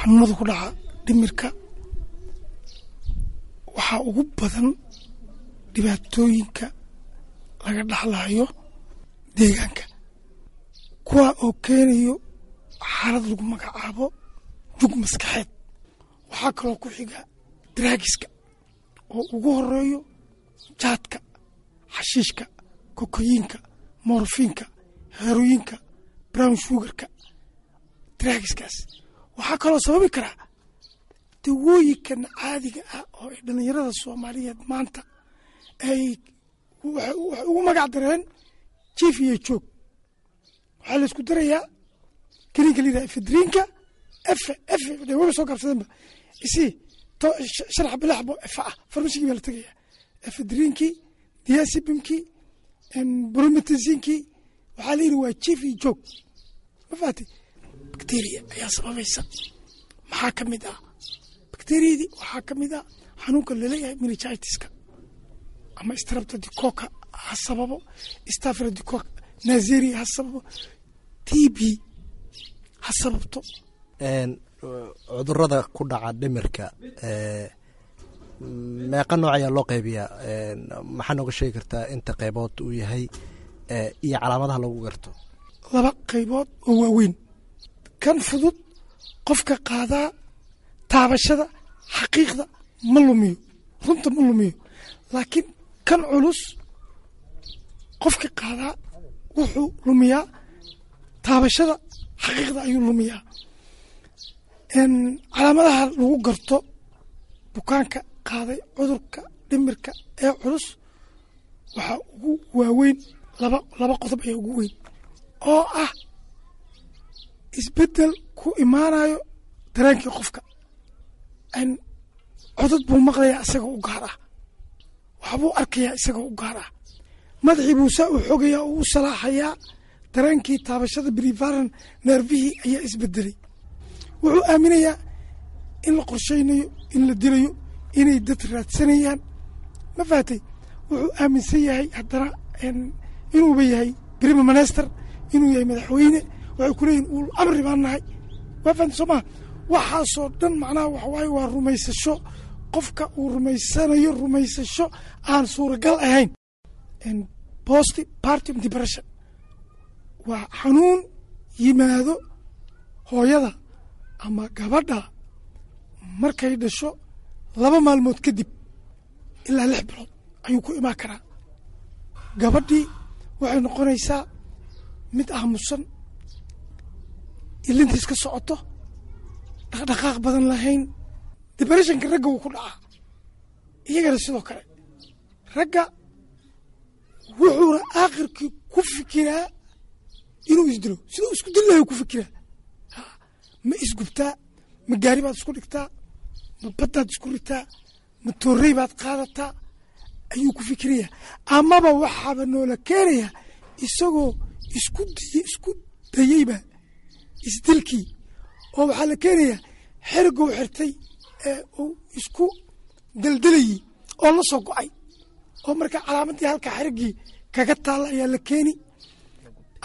Xanuunada ku dhaca dhimirka waxaa ugu badan dhibaatooyinka laga dhaxlayo deegaanka, kuwa oo keenayo xaalad lagu magacaabo jug maskaxeed. Waxaa kaloo ku xiga daraagiska oo ugu horeeyo jaadka, xashiishka, kokoyiinka, morfiinka, heroyinka, brown sugarka. Daraagiskaas waxaa kaloo sababi karaa dawooyinkan caadiga ah oo ay dhallinyarada Soomaaliyeed maanta ay waxay ugu magac dareen jiif iyo joog. Waxaa la isku darayaa kaniinka la yidhaha ephedrineka, efe efe dee waba soo gaabsadeenba isi 5 xabo, 6 xabo efe ah. Farmashigii baa la tegayaa, ephedrinkii, diazepamkii, promethazine-kii, waxaa la yidhi waa jiif iyo joog. Ma fahatay? Bacteria ayaa sababaysa. Maxaa ka mid ah bacteriyadii? Waxaa ka mid ah xanuunka laleeyahay meningitiska ama streptococcus ha sababo, staphylococcus neisseria ha sababo, TB ha sababto. Cudurada ku dhaca dhimirka meeqa nooc ayaa loo qaybiyaa? Maxaa nooga sheegi kartaa inta qaybood uu yahay iyo calaamadaha lagu garto? Laba qaybood oo waaweyn. Kan fudud, qofka qaadaa taabashada xaqiiqda ma lumiyo, runta ma lumiyo. Laakiin kan culus, qofka qaadaa wuxuu lumiyaa taabashada xaqiiqda ayuu lumiyaa. Calaamadaha lagu garto bukaanka qaaday cudurka dhimirka ee culus waxaa ugu waaweyn laba qodob ayaa ugu weyn, oo ah isbeddel ku imaanayo dareenkii qofka. Codad buu maqlayaa isagoo u gaar ah, waxbuu arkayaa isagoo u gaar ah, madaxii buu saa u xogayaa oo u salaaxayaa. Dareenkii taabashada, peripheral nervihii ayaa isbedelay. Wuxuu aaminayaa in la qorshaynayo, in la dilayo, inay dad raadsanayaan. Ma fahatay? Wuxuu aaminsan yahay haddana inuuba yahay prime minister, inuu yahay madaxweyne. Waxay ku leeyihin ul amri baan nahay. Waa fahamtay, soo maha? Waxaasoo dhan macnaha waxa waaye waa rumaysasho qofka uu rumaysanayo, rumaysasho aan suuragal ahayn. Postpartum depression waa xanuun yimaado hooyada ama gabadha markay dhasho 2 maalmood kadib ilaa 6 bilood ayuu ku imaan karaa. Gabadhii waxay noqonaysaa mid aamusan, ilintiis ka socoto, dhaqdhaqaaq badan lahayn. Depressionka ragga wuu ku dhacaa iyagana sidoo kale. Ragga wuxuuna aakhirkii ku fikiraa inuu isdilo. Siduu isku dili lahay ku fikiraa. Ma isgubtaa? Ma gaari baad isku dhigtaa? Ma baddaad isku ritaa? Ma toorrey baad qaadataa? Ayuu ku fikirayaa. Amaba waxaaba noola keenayaa isagoo isku dayeyba isdilkii, oo waxaa la keenayaa xerigow xirtay ee uu isku daldalayey oo la soo go'ay, oo marka calaamadii halka xeriggii kaga taalla ayaa la keeni.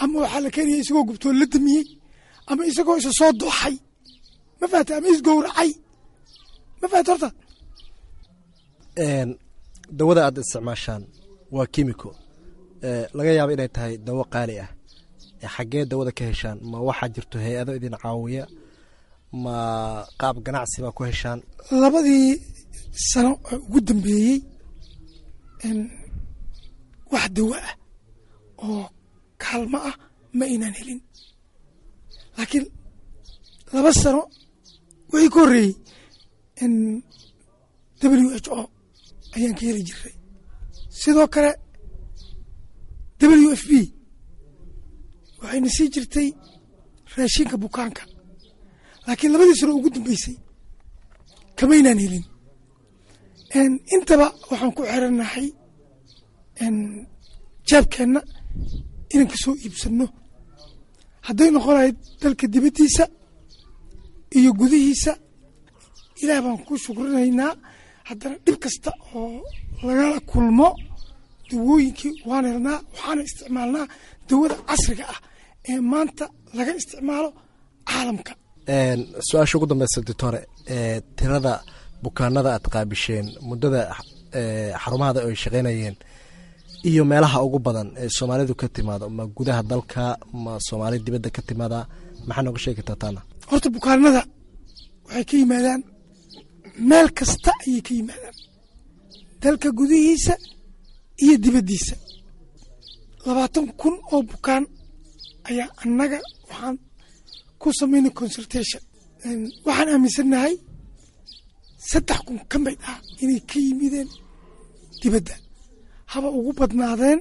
Ama waxaa la keenaya isagoo gubtoo la damiyey, ama isagoo isa soo dooxay. Ma fahatay? Ama isgowracay. Ma fahatay horta? Dawada aad isticmaashaan waa kimiko, laga yaabo inay tahay dawo qaali ah. Xaggee dawada ka heshaan? Ma waxaa jirto hay-ado idin caawiya? Ma qaab ganacsi baa ku heshaan? 2dii sano oo ugu dambeeyey wax dawo ah oo kaalmo ah ma aynaan helin, laakiin 2 sano wixii ka horreeyey WHO ayaan ka heli jiray, sidoo kale WFP waxayna sii jirtay raashinka bukaanka. Laakiin labadii sano ugu dambeysay kamaynaan helin. Intaba waxaan ku xirannahay jeebkeenna inaan ka soo iibsanno, hadday noqon lahayd dalka dibaddiisa iyo gudihiisa. Ilaah baan ku shukrinaynaa. Haddana dhib kasta oo lagala kulmo, dawooyinkii waan helnaa, waxaana isticmaalnaa dawada casriga ah ee maanta laga isticmaalo caalamka. Su-aasha ugu dambeysa doctore, tirada bukaanada aad qaabisheen muddada xarumahada ay shaqeynayeen iyo meelaha ugu badan ee soomaalidu ka timaado, ma gudaha dalka ma soomaali dibadda ka timaada, maxaa nooga sheegi kartaa taana? Horta bukaanada waxay ka yimaadaan meel kasta ayay ka yimaadaan, dalka gudihiisa iyo dibaddiisa. 20,000 oo bukaan ayaa annaga waxaan ku samaynay consultation. Waxaan aaminsannahay 3,000 ka mid ah inay ka yimideen dibadda, haba ugu badnaadeen.